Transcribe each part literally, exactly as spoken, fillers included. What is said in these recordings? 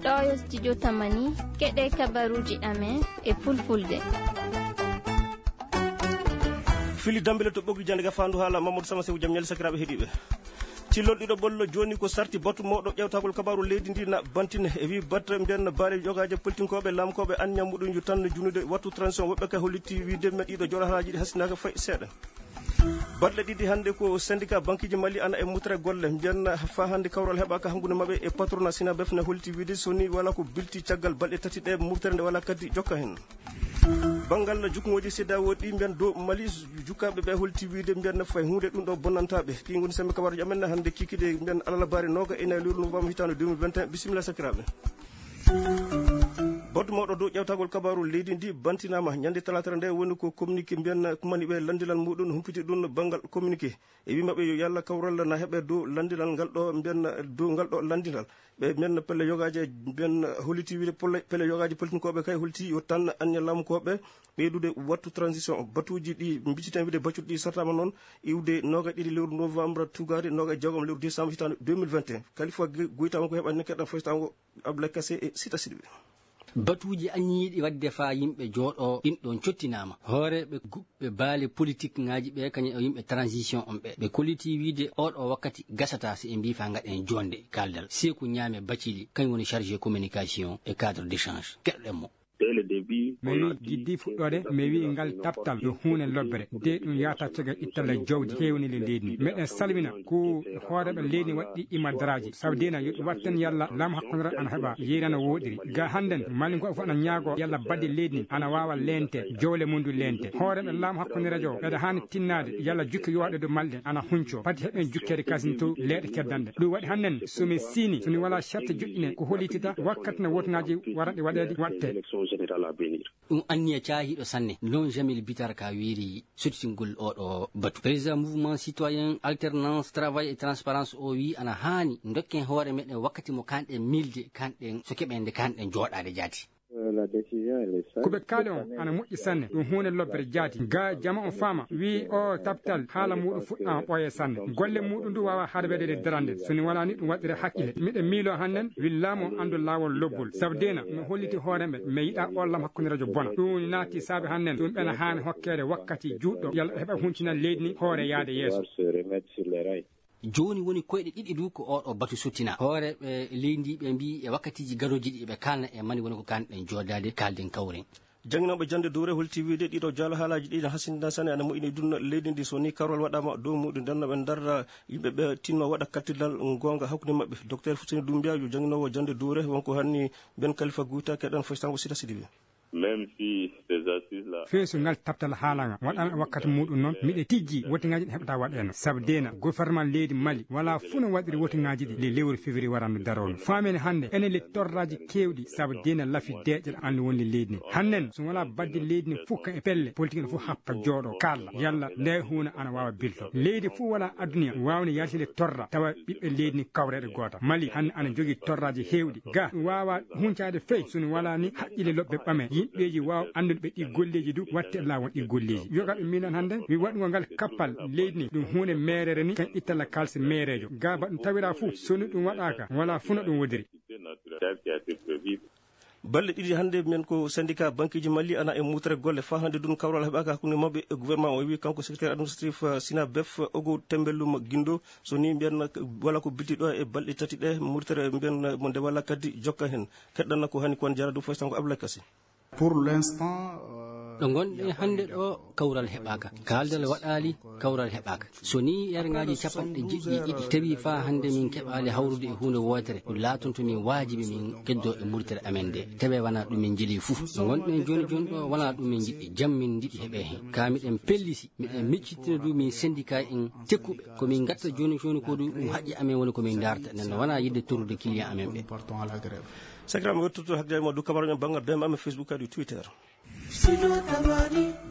Ɗo yo studio Tamani, keɗe kabaruji amen e fulfulde. Fili Dambele to ɓoggi jande ga fandu haala Mamadou Sama Sew, jam ñaali sakiraaɓe heɗiiɓe. Cillol ɗiɗo ɓollo jooni ko sarti batu mawɗo ƴewtagol kabaaru leydi ndi na bantine. E wi batte mbiyen baale yogaaje politinkoɓe lamkoɓe anniya muɗum yo tan junude wattu transition, woɓɓe kay hollitti wiide men ɗiɗo joɗa haaji ɗi hasinaaka fay seeɗa. Baɗɗe ɗiɗi hannde ko syndicat banqueji Mali ana e mutre golle, mbiyen fa hannde kawral heɓaka hakkunde maɓɓe e patronat Sinabef ne hollitti wiide so ni wala ko bilti caggal balɗe tati ɗe murtere nde wala kadi jokka hen. Banngal jukkonooji C E D E A O ɗi mbiyen dow Mali, jukkaaɓe ɓe hollitti wiide mbiyen fay huunde ɗum ɗo bonnantaa ɓe. Ɗi ngoni sembe kabaruji amen hannde kikiɗe mbiyen alarbaare nooga e nayi lewru novembre hitaande deux mille vingt et un. Bisimilla sakiraaɓe. Batu mawɗo dow ƴewtagol kabaaru leydi ndi bantinaama ñande talaata nde, woni ko communiqué mbiyen kumani ɓe lanndilal muɗum humpiti ɗum banngal communiqué. E wi maɓɓe yo yalla kawral na heɓe dow lanndilal ngal ɗo mbiyen dow ngal ɗo lanndingal. Ɓe mbiyen pelle yogaaji, mbiyen holiti wiide pole-, pelle yogaaji politinkoɓe kay holiti yo tan anniya lamkoɓe ɓeydude wattu transition batuuji ɗi mbicciten wiide baccuɗi ɗi sartama noon iwde nooga ɗiɗi lewru novembre tugaade nooga jeegom lewru décembre hitaande deux mille vingt et un. Kalifa Ge-, Goytama ko heɓani keɗɗa foytango Abdoulaye Kassé e Sita Sidibé. Batuuji anniyiiɗi waɗde faa yimɓe jooɗoo ɗin ɗoon cottinaama. Hooreeɓe guɓɓe baale politik ŋaaji ɓe, kañum e yimɓe transition on ɓe, ɓe kolliti wiide oo ɗoo wakkati gasataa si ɓe mbii faa ngaɗen joonde kaaldal. Seeku Ñaame Bacili, kañum woni chargé communication e cadre d'échange. Keɗoɗen mo. Mi wii giddi fuɗɗoode, mi wii ngal taptal yo huunde lobbere, de ɗum yahata caggal ittalla jawdi heewni le leydi ndi. Meɗen salmina ko hooreeɓe leydi waɗɗi imadaraaji, sabu dina yo ɗum watten yalla laamu hakkundiral ana heɓa yeeyna no wooɗiri. Ga hannden, Malinko fof ana ñaago yalla badde leydi ndi ana waawa leente, jowle mum du leente. Hooreeɓe laamu hakkundiral jo, ɓeɗa haani tinnaade yalla jukke yowaɗe dow malɗe ana hunco. Pati heɓen jukkeede kasin to leeɗe keddanɗe. Ɗum waɗi hannden, so mi siini, so mi wala charte joɗɗine, ko holitita wakkati no wotuŋaaji waraɗi waɗeede waɗte. Ɗum anniya caahiiɗo sanne, non Jamil Bitar ka wiiri sottingol oo ɗoo batu. Président Mouvement Citoyen Alternance Travail et Transparence o wii ana haani dokken hoore meɗen wakkati mo kanɗen miilde, kanɗen so keɓen nde kanɗen jooɗaade jaati. Ko ɓe kaali on ana moƴƴi sanne, ɗum huunde lobbere jaati. Ga jama on faama, wii o taptal haala muɗum fuɗɗaama ɓooye sanne. Golle muɗum du waawa harbeede e darande, so ni wala ni ɗum waɗire hakkile. Miɗen miilo hannden, wii laamu on anndu laawol lobbol. Sabu dina, mi holliti hoore mɓe, mi yiɗa o lam hakkunde rajo bona. Ɗum naati saabe hannden, ɗum ɓena haani hokkeede wakkati juutɗo, yalla ɓe heɓa huncinal leydi ni hoore yaade yeeso. Jooni woni koyɗe ɗiɗi du ko oo ɗoo batu sottina. Hooreeɓe leydi ndi ɓe mbii e wakkatiiji garooji ɗi ɓe kaalna e mani woni ko kaanɗen joodaade, kaalden kawren. Jannginooɓe jannde dowre holti wiide ɗiɗo jaalo haalaaji ɗi ne hasindina sane ana moƴƴini dunno leydi ndi so ni karwal waɗaama dow muɗum nden no ɓe ndarra yimɓe ɓe tinno waɗa kaltirdal goonga hakkunde maɓɓe. Docteur Fuseni Dumbiya yo jannginoowo jannde dowre wonko hanni Ben Kalifa Guyta keɗan foytango Sita Sidibe. Même si ces assises là. Fee so ngal taptal haalanga waɗaama e wakkati muɗum noon, miɗe tijji wotiŋaaji ɗi heɓata waɗeeno. Sabu dena gouvernement leydi Mali wala fuu no waɗiri wotiŋaaji ɗi le lewru février warandu daroono. Faamene hannde enen le torraji keewɗi sabu dena lafi deeƴere andu wonde leydi ni. Hannen so wala badde leydi ni fuu kan e pelle politique no fuu happa jooɗo kalla yalla nde huuna ana waawa bilto. Leydi fuu wala adduna waawni yaltinde torra tawa ɓiɓɓe leydi ni kawreeɗe goota. Mali hannde ana jogii torraaji heewɗi. Ga ɗum waawaa huncaade fey so ni walaa ni haqqille loɓɓe ɓame. Yimɓeeji waaw anndude ɓe ɗi golleeji du watte laawol ɗi golleeji. Yoga ɓe miilan hannde mi waɗugol ngal kappal leydi ni ɗum huunde meereere ni kan ittalla kaalisi meereejo. Ga ba ɗum tawiraa fuu so ni ɗum waɗaaka walaa fuu no ɗum wodiri. Balɗe ɗiɗi hannde men ko syndicat banqueji Mali ana e mutere golle faa hannde dun kawral heɓaaka hakkunde maɓɓe e gouvernement o wi kanko secrétaire administratif Sinabef Ogo Tembellum Gindo so ni mbiyan wala ko bilti ɗo e balɗe tati ɗe murtere mbiyan mo nde wala kadi jokka hen. Keɗɗanna ko hani kon jara du foy sango Abdoulaye Kassé. Pour l'instant, euh, ɗo ngonɗen hannde ɗo kawral heɓaaka, kaaldal waɗaali, kawral heɓaaka. So ni yarngaaji capanɗe jeɗɗi e ɗiɗi tawi faa hannde min keɓaali hawrude e huunde wootere, ɗum laatonto min waajibi min keddoo e murtere amen nde. Tawi wanaa ɗum min njeli fuu. Ɗo ngonɗen jooni jooni ɗo wanaa ɗum min njiɗi, jam min njiɗi heɓee heen. Kaa miɗen pellisi, miɗen miccittina du min syndicat en tekkuɓe. Ko min ngatta jooni jooni ko du ɗum haqqi amen woni ko min ndaarta. Nden no wanaa yiɗde torrude client amen ɓe. Sakiraaɓe, wettoto hakkunde ma du kabaru men banngal D M amen Facebook kadi Twitter.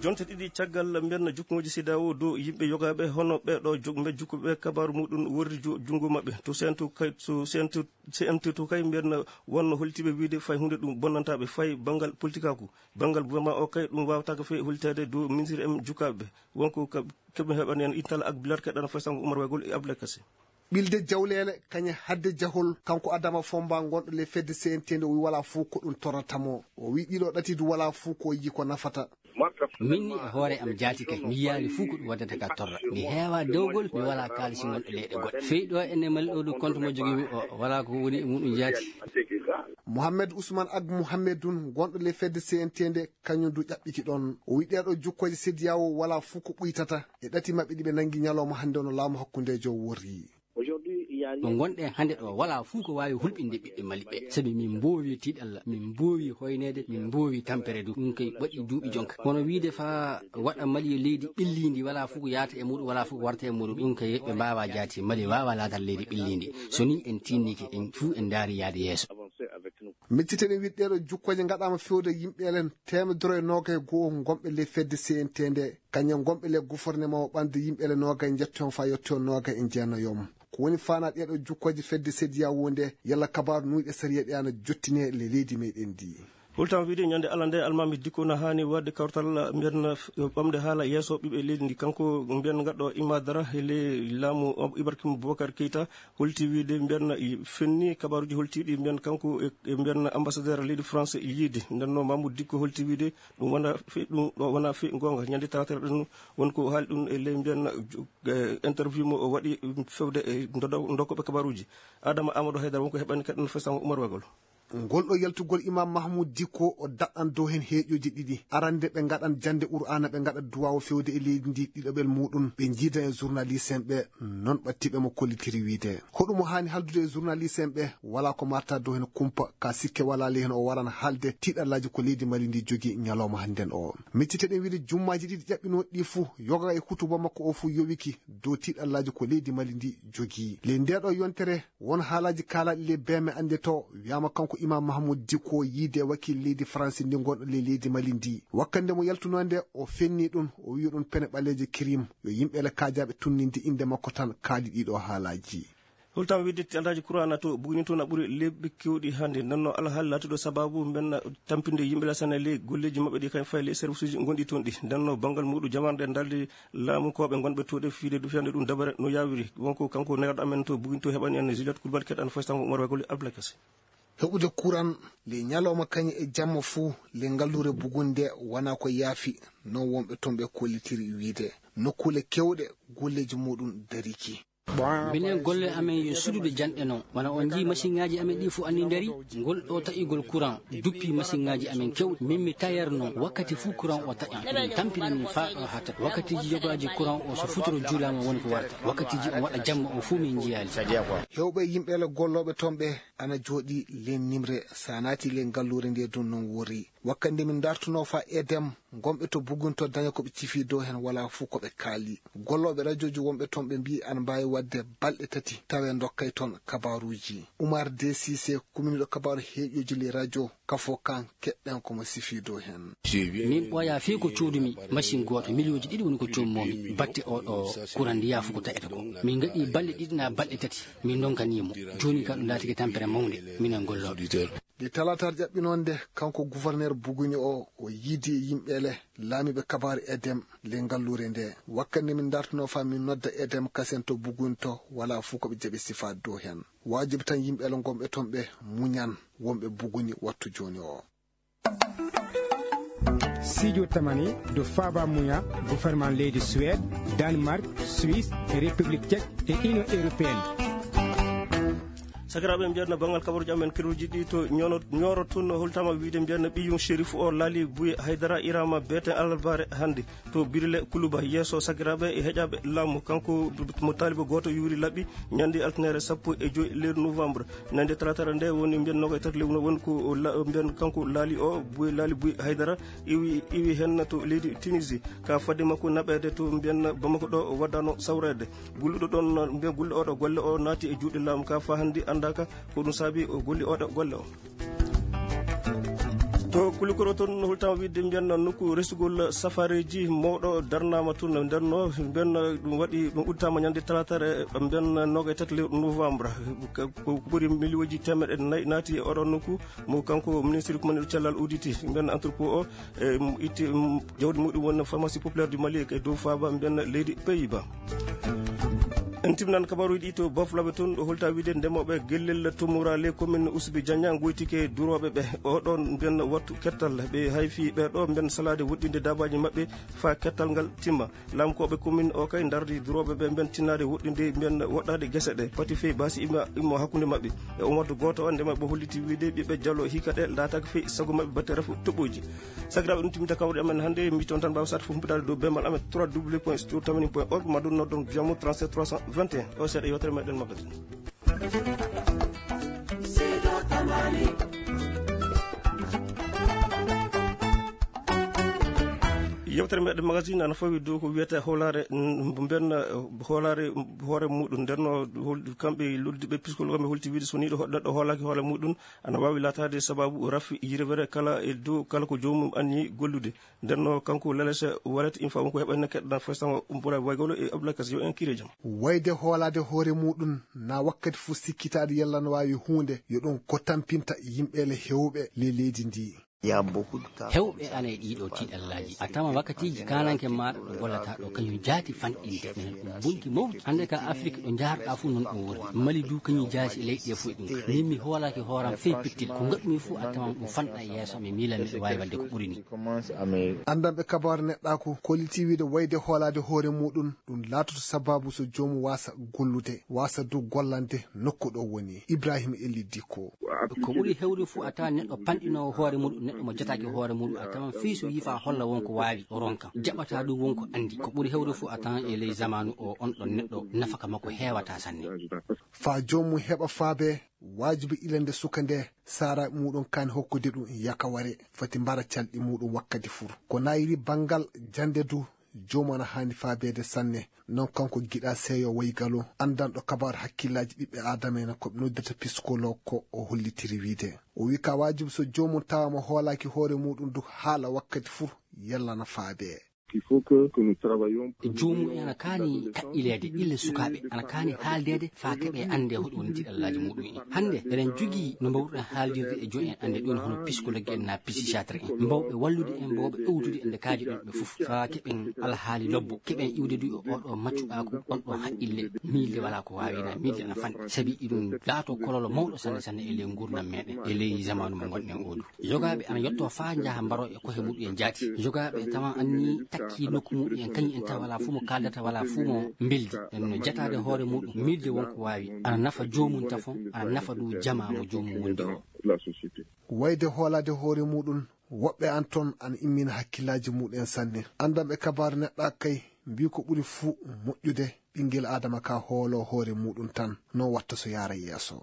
Jonte ɗiɗi caggal mbiyanna jukkuŋooji CEDEAO dow yimɓe yogaaɓe hono ɓee ɗo jog-, mbe jukkuɓe kabaaru muɗum worri ju-, junngo maɓɓe. To C N T kay, to C N T, C N T to kay mbiyanna wonno holtiiɓe wiide fay huunde ɗum bonnantaa ɓe fay banngal politikaaku. Banngal gouvernement o kay ɗum waawtaaka fay holtaade dow ministre en jukkaaɓe ɓe. Wonko ka-, keɓe heɓani en intal ak bilar keɗɗana fay sango Oumar Waygol e Abdoulaye Kassé. Ɓilde jawleele kañe hadde jahol, kanko Adama Fomba gonɗo le fedde C N T nde, o wi walaa fof ko ɗum torrata mo. O wi ɗiɗo ɗati du walaa fof ko yiyi ko nafata. Min ni e hoore am jaati kay, mi yiyaali fof ko ɗum waddata ka torra. Mi heewa dewgol, mi walaa kaalisi gonɗo leyɗe goɗɗe. Fey ɗo ene mali ɗo du compte mo jogii mi o, walaa ko woni e muɗum jaati. Mohamed Ousmane Ag Mohamedun gonɗo le fedde C N T nde, kañum du ƴaɓɓiki ɗon. O wi ɗeeɗo jukkooje sediyawo walaa fof ko ɓuytata e ɗati maɓɓe ɗi ɓe nangi ñalawma hannde ono laamu hakkundeejo worri. Ɗo ngonɗen hannde ɗo, walaa fuu ko waawi hulɓinde ɓiɓɓe Mali ɓe, sabi min mboowi tiiɗalla, min mboowi hoyneede, min mboowi tampere du. Ɗum kay waɗi duuɓi jonka. Kono wiide faa waɗa Mali yo leydi ɓilliindi, walaa fuu ko yaata e muuɗum, walaa fuu ko warta e muuɗum, ɗum kay ɓe mbaawaa jaati. Mali waawaa laataade leydi ɓilliindi. So nii en tiinnike, en fuu en ndaari yaade yeeso. Micciten e wiɗɗeeɗo jukkooje ngaɗaama fewde yimɓe elen teemedere e noogay e go'o ngonɓe ley fedde C N T nde, kañum ngonɓe ley gouvernement o ɓandu yimɓe elen noogay njettoyon faa yettoyon noogay e jeenayon. Ko woni faanaa ɗeeɗo jukkooje fedde sediyawo nde, yalla kabaaru nuuyɗe sariya ɗe ana jottine le leydi meɗen ndi. Hultama wiide ñande Allah nde almaami dikko na haani waɗde kawtal mbiyen ɓamde haala yeeso ɓiɓɓe leydi ndi. Kanko mbiyen gaɗɗo imadara he ley laamu Ibrahim Boubacar Keita, holti wiide mbiyen fenni kabaaruji holtiiɗi mbiyen kanko e, e mbiyen ambassadeur leydi France yiide. Nden no Mamoudou Dicko holti wiide ɗum wona fe-, ɗum ɗo wona fe goonga. Ñande talaata ɗum won ko haali ɗum e ley mbiyen, eh, interview mo o waɗi fewde e ndodo-, ndokkoɓe kabaaruji. Adama Amadou Haydara won ko heɓani kaɗen fesango Oumar Wagol. Ngol ɗo yaltugol Imam Mahmoud Dicko o daɗɗan dow heen heeƴooji ɗiɗi. Arande ɓe ngaɗan jannde Qur'aana, ɓe ngaɗa duwaawu fewde e leydi ndi, ɗiɗaɓel muuɗum ɓe njiida e journaliste en ɓe, non ɓattiiɓe mo kollitiri wiide. Hoɗum o haani haaldude e journaliste en ɓe, walaa ko marta dow heen kumpa, ka sikke walaa ley heen o waran haalde tiiɗallaaji ko leydi Mali ndi jogii ñalawma hannden o. Micciteɗen wiide jummaaji ɗiɗi ƴaɓɓinooɗi ɗi fuu, yoga e hutuba makko o fuu yowiki dow tiiɗallaaji ko leydi Mali ndi jogii. Ley ndeeɗo yontere, won haalaaji kaalaaɗi ley beeme annde to, wiyaama kanko Imam Mahmoud Dicko yiide wakiil leydi France ndi ngonɗo ley leydi Mali ndi. Wakkande mo yaltunoo nde, o fenni ɗum, o wi'i ɗum pene ɓaleeje kirim. Yo yimɓe ele kaajaaɓe tunninde innde makko tan kaali ɗiɗo haalaaji. Hultama wiide tiiɗallaaji Qur'aana to Buguni to na ɓuri lebbi kewɗi hannde. Nden no alhaali laatuɗo sababu mben tampinde yimɓe lasana ley golleeji maɓɓe ɗi kañ fayi ley service uji gonɗi toon ɗi. Nden no banngal muuɗum jamaare nde daldi laamukooɓe ngonɓe to ɗe fiide du fiyande ɗum dabare no yawiri. Wonko kanko neerɗo amen to Buguni to heɓani en Juliette Coulibaly keɗan foy sango Oumar Wagol Abdoulaye Kassé. Heɓude kuran le ñalawma kañe e jamma fuu le ngalluure Buguni nde wona ko yaafi, non wonɓe toon ɓe kollitiri wiide nokkuule kewɗe golleeji muuɗum dariki. Minen golle amen yo suudude janɗe non. Wona on njii masiŋaaji amen ɗi fof anni ndari, ngol ɗo taƴugol courant duppi masiŋaaji amen kewɗi. Min mi tailleur non, wakkati fof courant o taƴan. Eɗen tampina min faa ɗo haa taƴa. Wakkatiiji yogaaji courant o so futuro juulaama woni ko warta. Wakkatiiji on waɗa jamma o fof min njiyaali. Heewɓe yimɓe le gollooɓe toon ɓe ana jooɗii le nimre, so a naati le ngalluure nde ɗum non worri. Wakkati nde min dartunoo faa Edem, ngonɓe to Bugunto daña ko ɓe cifi dow heen wala fof ko ɓe kaali. Gollooɓe rajooji wonɓe toon ɓe mbiyi ana mbaawi waɗde balɗe tati tawe ndokkay toon kabaaruuji. Umar D C C, kuminiiɗo kabaaru heeƴooji ley rajo Kafo Kan, keɗɗen ko mo sifi dow heen. Min ɓooyaa fii ko coodumi, machine gooto, miliyonji ɗiɗi woni ko coommomi, batte oo ɗoo kuran ndiyaa fof ko taƴata ko. Min ngaɗii balɗe ɗiɗi naa balɗe tati, min ndonkanii mo. Jooni ka ɗum laatike tampere mawnde, minen gollooɓe. Nde talaataare ƴaɓɓinoo nde, kanko gouverneur Buguni o, o yiidi e yimɓe le laamiiɓe kabaaru Edem le ngalluure nde. Wakkati nde min dartunoo faa min nodda Edem kasen to Buguni to, walaa fof ko ɓe jaɓi sifaade dow heen. Waajibi tan yimɓe le ngonɓe toon ɓe muñan, wonɓe Buguni wattu jooni o. Sijo tamani do Faba Muya, gouvernement leydi Suède, Danemark, Suisse e République Tchèque e Union Européenne. Sakiraaɓe, mbiyanno banngal kabaruuji amen, keruuji ɗi to Ñooro, Ñooro tun, holtama wiide mbiyanno ɓiyum Chérif o Laali Buy Haydara Irama beeten alarbaare hannde to Birile Kuluba, yeeso sakiraaɓe e heƴaaɓe laamu. Kanko mo taalibo gooto yuuri laɓi ñande altinere sappo e joy lewru novembre. Ñande talaataare nde woni mbiyan noga e tati lewru no woni ko la-, mbiyan kanko Laali o, Buy Laali Buy Haydara, iwi, iwi hen to leydi Tunisie. Ka fadde makko naɓeede to mbiyan Bamako ɗo waddano sawreede. Gulluɗo ɗon, mbiyan gulluɗo oɗo golle o naati e juuɗe laamu ka fa hannde anndaaka ko ɗum saabi o golli oɗo golle o. To Kulikoro toon, no hultama wiide mbiyan nokku resugol safareeji mawɗo darnaama toon, nden no mbiyan ɗum waɗi, ɗum udditaama ñande talaataare, mbiyan noga e tati lewru novembre. Ka, ko ɓuri miliyonji teemeɗɗe nayi naati e oɗon nokku mo kanko ministre kumaniiɗo cellal udditi. Mbiyan entrepôt o, e, itti, mm, jawdi muɗum woni pharmacie populaire du Mali e dow faaba mbiyan leydi Pays-Bas. En timnan kabaruuji ɗi to Bafulaɓe, toon ɗo holta wiide ndemooɓe gellel Tumura les commune Usubi Janya ngoytike durooɓe ɓe. O ɗoon mbiyen wattu kettal ɓe hayfi ɓe ɗo mbiyen salaade woɗɗinde daabaaji maɓɓe faa kettal ngal timma. Laamkooɓe commune o kay ndardi durooɓe ɓe mbiyen tinnaade woɗɗinde mbiyen woɗɗaade gese ɗe pati fey baasi imma, immo hakkunde maɓɓe. E umardu gooto o ndema ɓe holliti wiide ɓiɓɓe Jalo hikka ɗe laataaka fey sago maɓɓe batte rafu toɓɓooji. Sakiraaɓe, ɗum timmita kawri amen hannde. Mi toon tan mbaawa sat fof humpitaade dow bemal amen trois w point studio tamani point org, ma ɗum noddon via mo trente-sept trois cent vingt et un. O seeɗa yewtere meɗen magazine. Yewtere meɗen magazine ana fawi dow ko wiyata hoolaare, mm, mben, eh, hoolaare, mm, hoore muɗum. Nden no hol-, kamɓe loddiɓe piskol kamɓe holti wiide so nii ɗo ho-, neɗɗo hoolaaki hoore muɗum, ana waawi laataade sababu rafi yirwere kala e dow kala ko joomum anni gollude. Nden no kanko Lalese Walet Infa wonko heɓa en keɗɗa Faysama Umbura Waygolo e Abdoulaye Kas, yo en kiire jam. Wayde hoolaade hoore muɗum na wakkati fof sikkitaade yalla no waawi huunde, yo ɗum ko tampinta yimɓe le heewɓe le leydi ndi. Hewɓe ana e ɗiɗo tiiɗallaaji. A tama wakkatiiji kaananke maaɗa ɗo gollata ɗo kañum jaati fanɗinde. Ɗum bonki mawɗi. Hannde ka Afrik ɗo njaarɗa fof noon ɗum woni. Mali du kañum jaati e leyɗe fof ɗum. Min mi hoolaaki hooram fey pittil. Ko ngaɗmi fof a tama ɗum fanɗa e yeeso mi miila miɗo waawi waɗde ko ɓuri ni. Anndanɓe kabaru neɗɗaaku kolliti wiide wayde hoolaade hoore muɗum, ɗum laatoto sababu so joomum waasa gollude, waasa du gollande nokku ɗo woni. Ibrahima Elli Dikko. Ko ɓuri hewde fof a tawa neɗɗo panɗinoowo hoore muɗum, neɗɗo mo jataaki hoore muɗum, a tawan fii so yifaa holla wonko waawi o ronka. Jaɓataa ɗum wonko anndi. Ko ɓuri hewde fof a tawan e ley zamaanu o, on ɗon neɗɗo nafaka makko heewata sanne. Faa joomum heɓa faabe, waajibi ilande suka nde saara muɗum kaan hokkude ɗum yakaware, foti mbara calɗi muɗum wakkati fur. Ko nayiri banngal jannde du, joomum ana haani faabeede sanne. Non kanko giɗa seeyo Waygalo, anndanɗo kabaru hakkillaaji ɓiɓɓe Aadama en ko ɓe noddata piskolo ko o hollitiri wiide. O wi ka waajibi so joomum tawaama hoolaaki hoore muɗum du haala wakkati fur yallana faabe. Joomum en ana kaani kaɓɓileede, ille sukaaɓe ana kaani haaldeede faa keɓe annde hoɗi woni tiɗallaaji muɗum en. Hannde eɗen jogii no mbaawruɗen haaldirde e joom en annde ɗum hono psikologge en na psikiatre en. Mbawɓe wallude en, mbawɓe ewtude en nde kaaji ɗon ɓe fof. Faa keɓen alhaali lobbo, keɓen iwde du e oɗo maccuɗaaku, on ɗon haqqille, miilde walaa ko waawi na miilde ana fanɗi. Sabi iɗum laato kololo mawɗo sanne sanne e ley nguurndam meɗen, e ley zamaanu mo ngonɗen o du. Yogaaɓe ana yotto faa njaha mbaro e kohe muɗum en jaati. Yogaaɓe tawa anni takki nokku muɗum en kañum en tawa walaa fuu mo kaaldata walaa fuu mo mbeldi. Nden no jataade hoore muɗum, miilde wonko waawi. Ana nafa joomum tafon, ana nafa du jamaa mo joomum wondi o. Wayde hoolaade hoore muɗum, woɓɓe an toon ana immina hakkillaaji muɗum en sanne. Anndanɓe kabaaru neɗɗa kay mbii ko ɓuri fuu moƴƴude ɓinngel Aadama ka hoolo hoore muɗum tan, non watta so yaara yeeso.